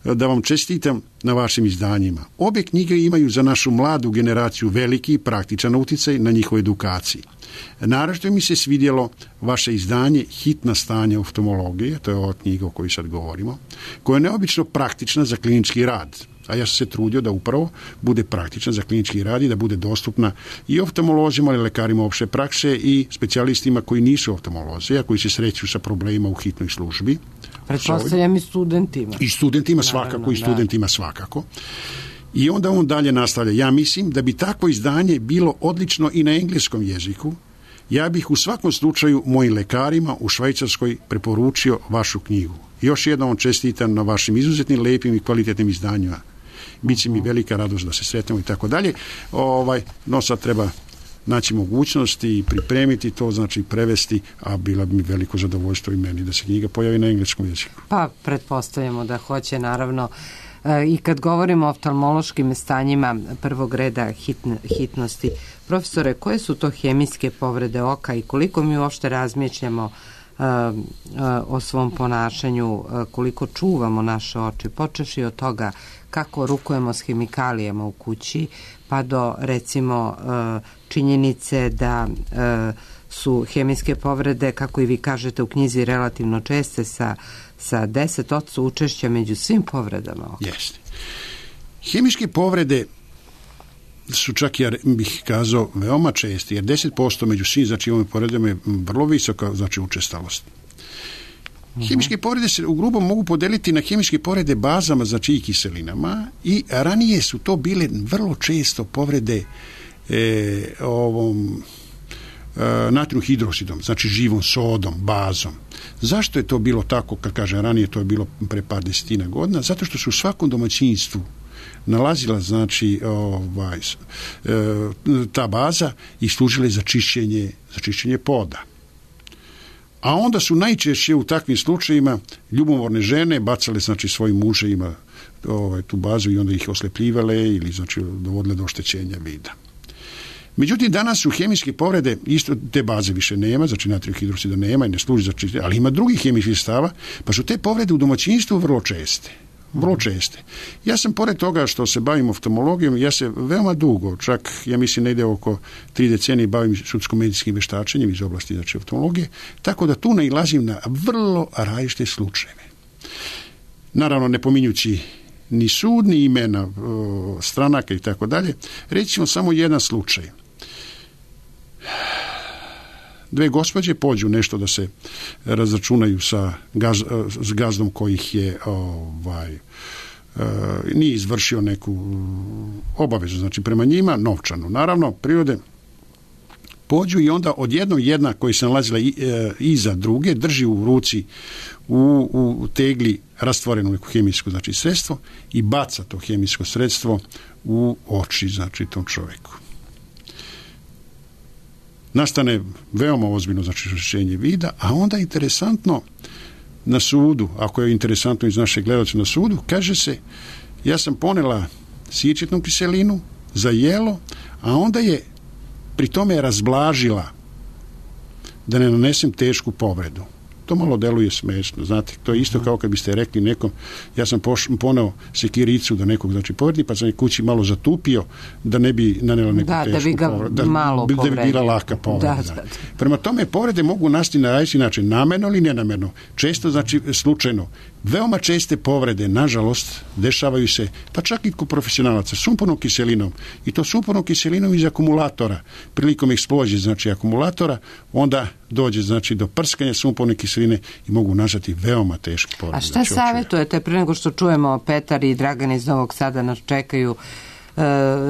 da vam čestitam na vašim izdanjima. Obe knjige imaju za našu mladu generaciju veliki i praktičan uticaj na njihovoj edukaciji. Naravno mi se svidjelo vaše izdanje Hitna stanja oftalmologije, to je ova knjiga o kojoj sad govorimo, koja je neobično praktična za klinički rad, a ja sam se trudio da upravo bude praktična za klinički rad i da bude dostupna i oftalmolozima, ali lekarima opšte prakse i specijalistima koji nisu oftalmolozi, a koji se sreću sa problemima u hitnoj službi. Pretpostavljam i studentima. I studentima svakako, naravno, i studentima da. svakako. I onda on dalje nastavlja: ja mislim da bi takvo izdanje bilo odlično i na engleskom jeziku. Ja bih u svakom slučaju mojim lekarima u Švajcarskoj preporučio vašu knjigu. Još jednom čestitam na vašim izuzetnim, lepim i kvalitetnim izdanjima. Biće mi velika radost da se sretnemo i tako dalje. Ovaj, no sad treba naći mogućnosti i pripremiti to, znači prevesti, a bila bi mi veliko zadovoljstvo i meni da se knjiga pojavi na engleskom jeziku. Pa, pretpostavljamo da hoće, naravno. I kad govorimo o oftalmološkim stanjima prvog reda hitn, hitnosti, profesore, koje su to hemijske povrede oka i koliko mi uopšte razmišljamo uh, uh, o svom ponašanju, uh, koliko čuvamo naše oči, počevši od toga kako rukujemo s hemikalijama u kući, pa do recimo uh, činjenice da uh, su hemijske povrede, kako i vi kažete u knjizi, relativno česte sa sa deset posto učešća među svim povredama oka. Jeste. Hemijske povrede su čak, ja bih kazao, veoma česti, jer deset posto među svim znači ovim povredama je vrlo visoka znači učestalost. Uh-huh. Hemijske povrede se u grubo mogu podeliti na hemijske povrede bazama, znači i kiselinama, i ranije su to bile vrlo često povrede e, ovom natrijum hidrosidom, znači živom sodom, bazom. Zašto je to bilo tako, kad kažem ranije, to je bilo pre par desetina godina? Zato što su u svakom domaćinstvu nalazila znači ovaj, ta baza i služile za čišćenje, za čišćenje poda. A onda su najčešće u takvim slučajima ljubomorne žene bacale znači svojim muževima ovaj, tu bazu i onda ih oslepljivale ili znači dovodile do oštećenja vida. Međutim, danas su hemijske povrede, isto te baze više nema, znači natrijum hidroksida nema i ne služi za čišćenje, ali ima drugih hemijskih sredstava, pa su te povrede u domaćinstvu vrlo česte. Vrlo česte. Ja sam, pored toga što se bavim oftalmologijom, ja se veoma dugo, čak ja mislim negde oko tri decenije bavim sudsko-medicinskim veštačenjem iz oblasti znači oftalmologije, tako da tu nailazim na vrlo različite slučajeve. Naravno, ne pominjući ni sud, ni imena o, stranaka i tako dalje. Reći ćemo samo jedan slučaj. Dve gospođe pođu nešto da se razračunaju sa gaz, s gazdom kojih je ovaj, e, nije izvršio neku obavezu, znači prema njima novčanu. Naravno, prirode pođu i onda odjednom jedna koja se nalazila i, e, iza druge drži u ruci u, u tegli rastvoreno neko hemijsko znači sredstvo i baca to hemijsko sredstvo u oči znači tom čoveku. Nastane veoma ozbiljno znači oštećenje vida, a onda interesantno na sudu, ako je interesantno iz našeg gledalca na sudu, kaže se ja sam ponela sičetnu kiselinu za jelo, a onda je pri tome razblažila da ne nanesem tešku povredu. To malo deluje smešno, znate, to je isto kao kad biste rekli nekom, ja sam poš, poneo sekiricu da nekog znači povredi, pa sam je kući malo zatupio da ne bi nanela neku da, tešku da bi ga povredu, da, malo da, da bi bila laka povreda. Da, da. Prema tome, povrede mogu nasti na različiti način, namerno ili nenamerno, često znači slučajno. Veoma česte povrede, nažalost, dešavaju se, pa čak i kod profesionalaca, sumpornom kiselinom, i to sumpornom kiselinom iz akumulatora. Prilikom eksplozije, znači akumulatora, onda dođe znači do prskanja sumporne kiseline i mogu nastati veoma teške povrede. A šta savjetujete, prije nego što čujemo Petar i Dragan iz Novog Sada nas čekaju, uh,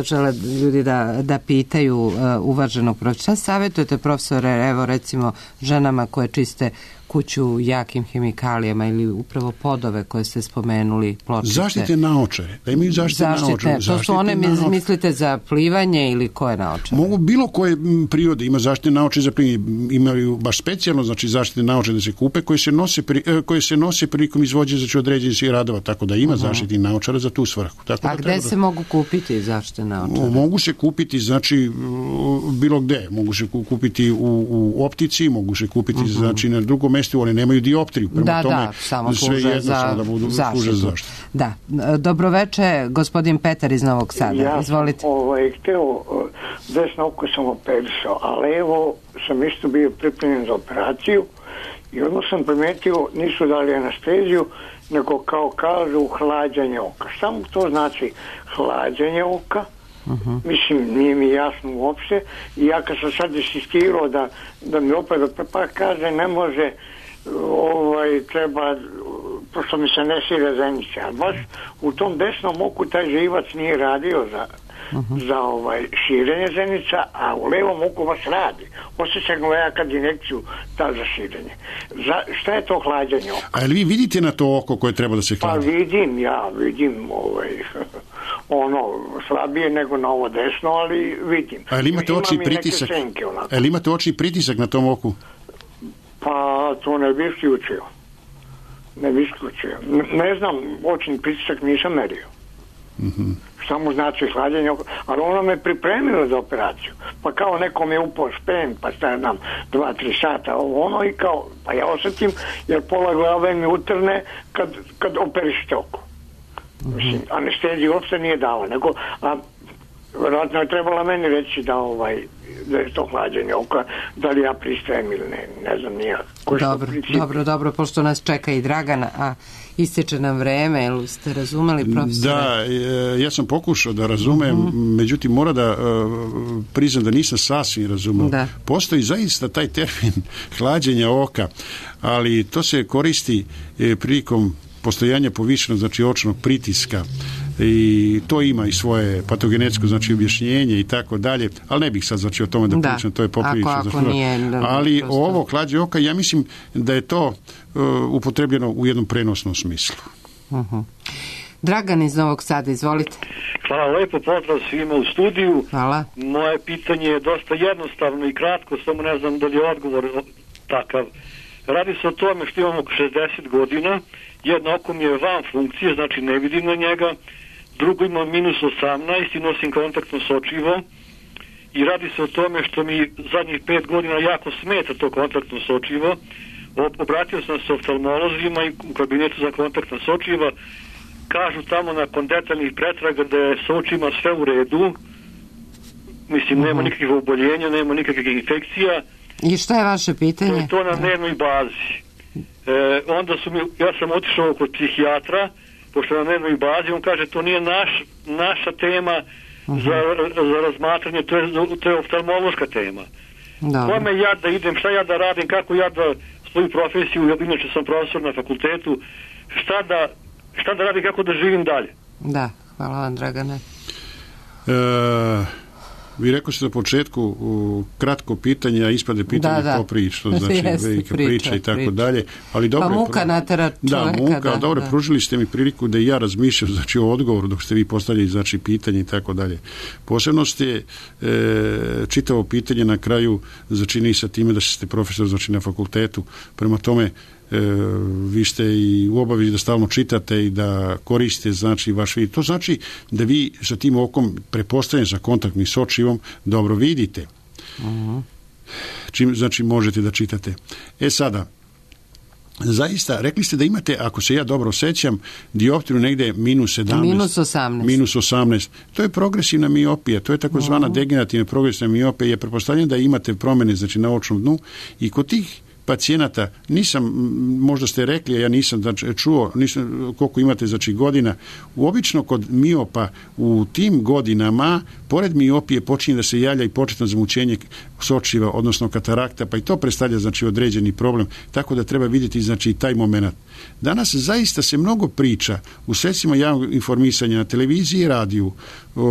žele ljudi da, da pitaju uh, uvaženog profesora. Šta savjetujete, profesore, evo recimo ženama koje čiste kuću jakim hemikalijama ili upravo podove koje ste spomenuli, pločice? Zaštite naočare, da imaju zaštite, zaštite naočare. To su one, naočare. Mislite za plivanje ili koje naočare? Mogu bilo koje prirode, ima zaštite naočare za plivanje, imaju baš specijalno, znači zaštite naočare da se kupe, koje se nose, pri, koje se nose prilikom izvođenja znači određenih radova, tako da ima uh-huh. zaštite naočara za tu svrhu. Tako A da gde da... se mogu kupiti zaštite naočare? Mogu se kupiti, znači, bilo gde. Mogu se kupiti u, u optici, mogu se kupiti, uh-huh. znači, na drugom mjestu, one nemaju dioptriju, prema da, tome da, samo sve služe jedno za samo da budu služe za zaštitu. Da. Dobroveče, gospodin Petar iz Novog Sada. Ja Izvolite. sam ovaj, hteo, desno oko sam operisao, a levo sam isto bio pripremljen za operaciju i odmah sam primetio, nisu dali anesteziju, nego kao kažu hlađanje oka. Šta mu to znači hlađanje oka? Uh-huh. Mislim, nije mi jasno uopšte i ja kad sam sad insistirao da, da mi opet pa kaže ne može ovaj, treba pošto mi se ne šire zenice, a baš u tom desnom oku taj živac nije radio za, uh-huh. za ovaj, širenje zenica, a u levom oku baš radi. Osjećam ga ja kad injekciju ta za širenje. Za, šta je to hlađenje oka? A jel vi vidite na to oko koje treba da se hladi? Pa vidim, ja vidim ovaj, ono, slabije nego na ovo desno, ali vidim. A jel imate oči pritisak? Senke, a jel imate oči pritisak na tom oku? Pa to ne bi isključio. Ne bi isključio. Ne znam, očni pritisak nisam merio. Mm-hmm. Šta mu znači hlađenje oka? Ali ono me pripremilo za operaciju. Pa kao nekom je upao špen, pa šta nam dva, tri sata, ovo ono i kao, pa ja osjetim, jer pola glave mi utrne kad, kad operište oko. Mm-hmm. Mislim, anesteziju uopšte nije dala, nego, a vjerojatno je trebala meni reći da ovaj, da je to hlađenje oka, da li ja pristajem ili ne, ne znam nija. Dobro, dobro, dobro, pošto nas čeka i Dragan, a ističe nam vreme, jel ste razumeli, profesore? Da, ja sam pokušao da razumem, uh-huh. međutim mora da uh, priznam da nisam sasvim razumeo. Da. Postoji zaista taj termin hlađenja oka, ali to se koristi eh, prilikom postojanja povišenog, znači očnog pritiska, i to ima i svoje patogenetsko znači objašnjenje i tako dalje, ali ne bih sad znači o tome da, da. pričam, to je poprilično. Ako, ako nije, da, ali prosto... ovo hlađenje oka, ja mislim da je to uh, upotrebljeno u jednom prenosnom smislu. Uh-huh. Dragan iz Novog Sada, izvolite. Hvala lepo, pozdrav svima u studiju. Hvala. Moje pitanje je dosta jednostavno i kratko, samo ne znam da li je odgovor takav. Radi se o tome što imamo oko šezdeset godina, jedno oko mi je van funkcije, znači ne vidim na njega, drugo imam minus osamnaest i nosim kontaktno sočivo i radi se o tome što mi zadnjih pet godina jako smeta to kontaktno sočivo. Obratio sam se oftalmolozima i u kabinetu za kontaktna sočiva, kažu tamo nakon detaljnih pretraga da je sa očima sve u redu, mislim uh-huh. nema nikakvih oboljenja, nema nikakvih infekcija. I šta je vaše pitanje? To je to na dnevnoj bazi. E, onda su mi, ja sam otišao kod psihijatra pošto je na dnevnoj bazi, on kaže to nije naš, naša tema uh-huh. za, za razmatranje, to je, to je oftalmološka tema. Kome ja da idem, šta ja da radim, kako ja da svoju profesiju, ja inače sam profesor na fakultetu, šta da, šta da radim, kako da živim dalje. Da, hvala vam, Dragane. E, vi rekao ste na početku u kratko pitanje, a ispade pitanje da, da. Poprič, što znači Jeste, velika priča, priča i tako priča. Dalje. Ali dobro, pa muka natera čoveka. Da, muka, da, dobro, da. Pružili ste mi priliku da i ja razmišljam znači, o odgovoru dok ste vi postavljali znači, pitanje i tako dalje. Posebno ste e, čitavo pitanje na kraju začini sa time da ste profesor znači, na fakultetu. Prema tome, E, vi ste i u obavezi da stalno čitate i da koristite znači vaš vid. To znači da vi sa tim okom prepostavljeni sa kontaktnim s očivom dobro vidite. Uh-huh. Čim znači možete da čitate. E sada, zaista, rekli ste da imate, ako se ja dobro sećam, dioptriju negde minus sedamnaest. Minus osamnaest. Minus osamnaest. To je progresivna miopija, to je takozvana uh-huh. degenerativna progresivna miopija. Je pretpostavljeno da imate promene znači, na očnom dnu i kod tih pacijenata, nisam, možda ste rekli, ja nisam znači, čuo nisam, koliko imate znači, godina, obično kod miopa u tim godinama, pored miopije počinje da se javlja i početno zamućenje sočiva, odnosno katarakta, pa i to predstavlja znači, određeni problem, tako da treba vidjeti znači, taj moment. Danas zaista se mnogo priča u sredstvima javnog informisanja na televiziji i radiju, o,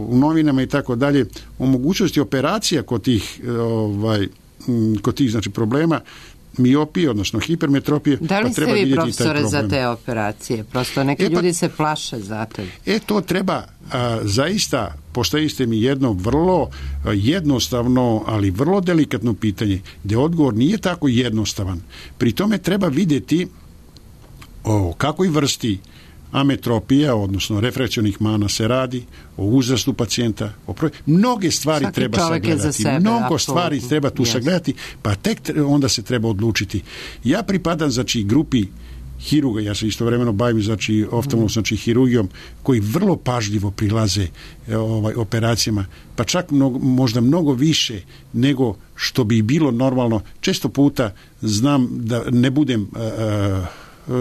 u novinama i tako dalje, o mogućnosti operacija kod tih ovaj, kod tih znači, problema miopije, odnosno hipermetropije. Da li pa treba ste vi profesore za te operacije? Prosto neki e, pa, ljudi se plaše za to. E to treba a, zaista, postavite mi jedno vrlo a, jednostavno, ali vrlo delikatno pitanje, gdje odgovor nije tako jednostavan. Pri tome treba vidjeti o kakvoj vrsti ametropija, odnosno refrakcionih mana se radi, o uzrastu pacijenta, o proj... mnoge stvari Svaki treba sagledati. Sebe, mnogo apsolutno. Stvari treba tu yes. sagledati, pa tek onda se treba odlučiti. Ja pripadam znači grupi hiruga, ja se istovremeno bavim znači oftalmološkom znači hirurgijom, koji vrlo pažljivo prilaze ovaj operacijama, pa čak mnogo, možda mnogo više nego što bi bilo normalno. Često puta znam da ne budem uh,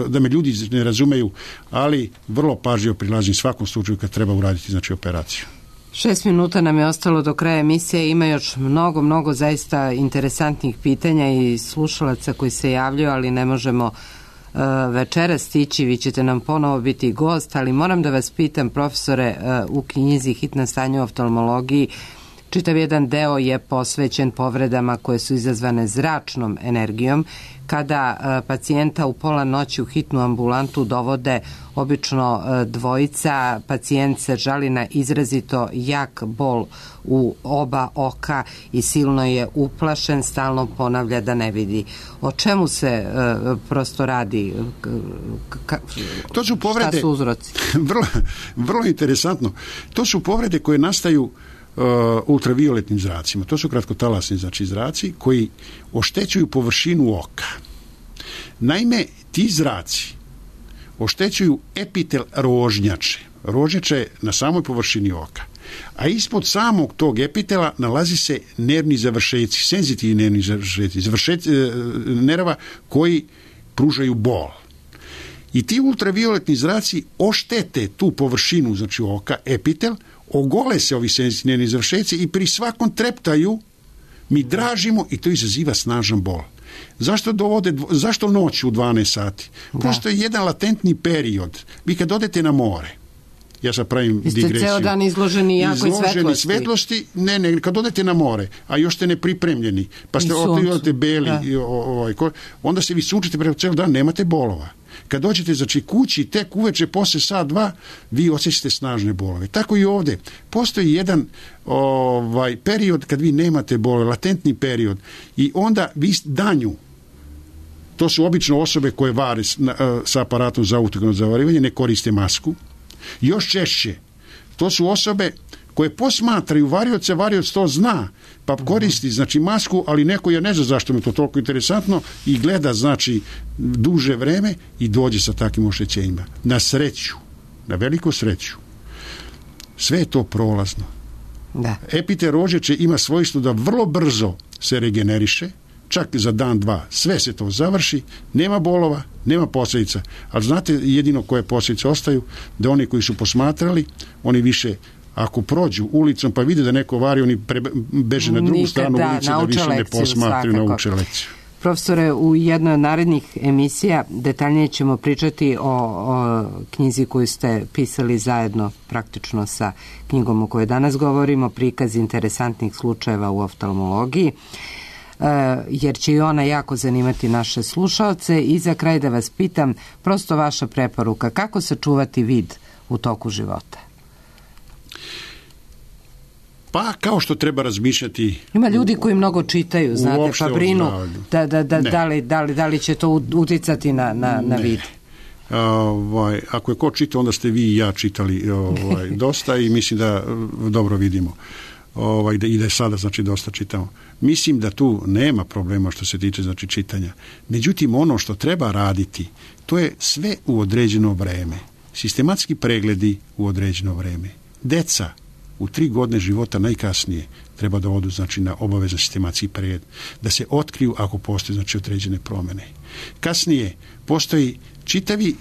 da me ljudi ne razumeju, ali vrlo pažljivo prilazim svakom slučaju kad treba uraditi znači operaciju. Šest minuta nam je ostalo do kraja emisije, ima još mnogo, mnogo zaista interesantnih pitanja i slušalaca koji se javljaju, ali ne možemo uh, večera stići, vi ćete nam ponovo biti gost, ali moram da vas pitam, profesore, uh, u knjizi Hitna stanja u oftalmologiji, čitav jedan deo je posvećen povredama koje su izazvane zračnom energijom. Kada uh, pacijenta u pola noći u hitnu ambulantu dovode obično uh, dvojica, pacijent se žali na izrazito jak bol u oba oka i silno je uplašen, stalno ponavlja da ne vidi. O čemu se uh, prosto radi? Ka, to su povrede, šta su uzroci? vrlo, vrlo interesantno. To su povrede koje nastaju Uh, ultravioletnim zracima. To su kratkotalasni znači zraci koji oštećuju površinu oka. Naime, ti zraci oštećuju epitel rožnjače. Rožnjača je na samoj površini oka. A ispod samog tog epitela nalazi se nervni završeci, senzitivni nervni završeci, završeci nerva koji pružaju bol. I ti ultravioletni zraci oštete tu površinu znači oka, epitel, ogole se ovi senzitivni završeci i pri svakom treptaju mi dražimo i to izaziva snažan bol. Zašto dovode, zašto noć u dvanaest sati? Da. Postoji jedan latentni period. Vi kad odete na more, ja sad pravim Ste digresiju. Ste ceo dan izloženi jakoj izloženi svetlosti. svetlosti. Ne, ne, kad odete na more, a još ste nepripremljeni, pa ste odete beli, i, ovaj, onda se vi sunčite preko ceo dan, nemate bolova. Kad dođete znači kući, tek uveče posle sat dva, vi osjećate snažne bolove. Tako i ovde. Postoji jedan ovaj, period kad vi nemate bolove, latentni period. I onda vi danju, to su obično osobe koje vare sa aparatom za ultrakarno zavarivanje, ne koriste masku. Još češće, to su osobe koje posmatraju varioce, varioc to zna, pa koristi znači masku, ali neko je ne zna zašto mi to toliko interesantno i gleda znači duže vreme i dođe sa takvim oštećenjima. Na sreću, na veliku sreću, sve je to prolazno. Da. Epitel rožnjače ima svojstvo da vrlo brzo se regeneriše, čak za dan, dva, sve se to završi, nema bolova, nema posljedica, ali znate jedino koje posljedice ostaju, da oni koji su posmatrali, oni više, ako prođu ulicom pa vide da neko vari, oni pre, beže na drugu Nikad, stranu da, ulice da više ne posmatraju, nauče lekciju. Profesore, u jednoj od narednih emisija detaljnije ćemo pričati o, o knjizi koju ste pisali zajedno praktično sa knjigom o kojoj danas govorimo, prikaz interesantnih slučajeva u oftalmologiji, jer će i ona jako zanimati naše slušaoce. I za kraj da vas pitam, prosto vaša preporuka, kako sačuvati vid u toku života? Pa kao što treba razmišljati... Ima ljudi koji mnogo čitaju, znate, pa brinu da, da, da, da, li, da, li, da li će to uticati na, na, na vid. Ovaj, ako je ko čita, onda ste vi i ja čitali ovaj, dosta i mislim da dobro vidimo. Ovaj, da, i da je sada znači dosta čitamo. Mislim da tu nema problema što se tiče znači čitanja. Međutim, ono što treba raditi, to je sve u određeno vreme. Sistematski pregledi u određeno vreme. Deca u tri godine života najkasnije treba da odu znači na obavezan sistematski pregled, da se otkriju ako postoje znači određene promjene. Kasnije postoji čitavi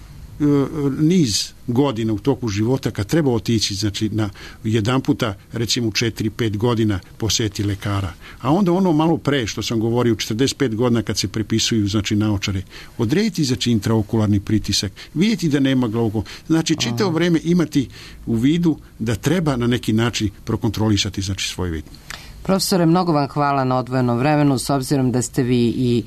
niz godina u toku života kad treba otići znači na jedan puta recimo četiri pet godina posjeti lekara, a onda ono malo pre što sam govorio u četrdeset pet godina kad se prepisuju znači naočare, odrediti znači intraokularni pritisak, vidjeti da nema glaukoma, znači čitavo vrijeme imati u vidu da treba na neki način prokontrolisati znači svoj vid. Profesore, mnogo vam hvala na odvojenom vremenu, s obzirom da ste vi i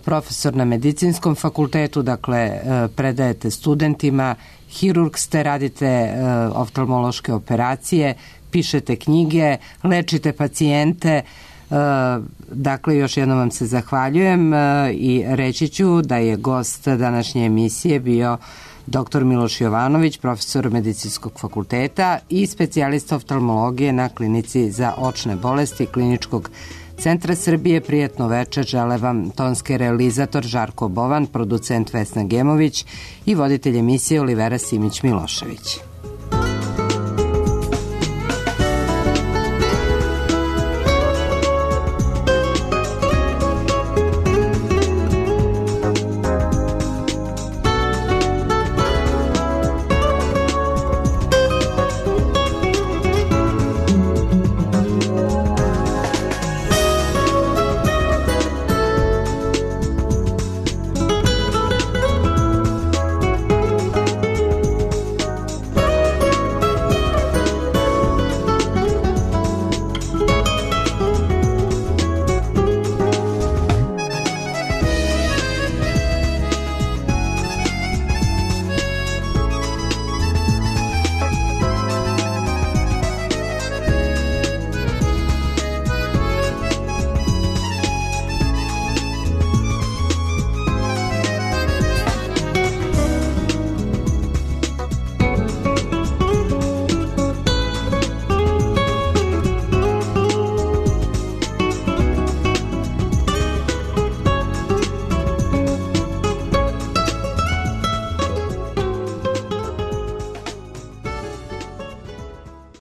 profesor na medicinskom fakultetu, dakle predajete studentima, hirurg ste, radite oftalmološke operacije, pišete knjige, lečite pacijente, dakle još jednom vam se zahvaljujem i reći ću da je gost današnje emisije bio doktor Miloš Jovanović, profesor medicinskog fakulteta i specijalista oftalmologije na klinici za očne bolesti Kliničkog Centra Srbije. Prijatno večer žele vam tonski realizator Žarko Bovan, producent Vesna Gemović i voditelj emisije Olivera Simić Milošević.